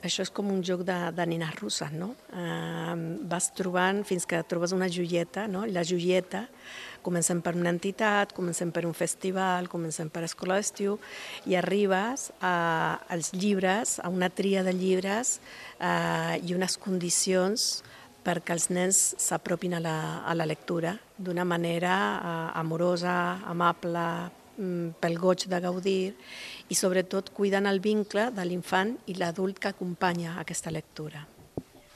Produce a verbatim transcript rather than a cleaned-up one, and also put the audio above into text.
Això és com un joc de, de nines russes, no? Eh, vas trobant fins que trobes una joieta, no? I la joieta, comencem per una entitat, comencem per un festival, comencem per escola d'estiu i arribes a, als llibres, a una tria de llibres eh, i unes condicions perquè els nens s'apropin a, la, a la lectura d'una manera eh, amorosa, amable, pel goig de gaudir i sobretot cuidant el vincle de l'infant i l'adult que acompanya aquesta lectura.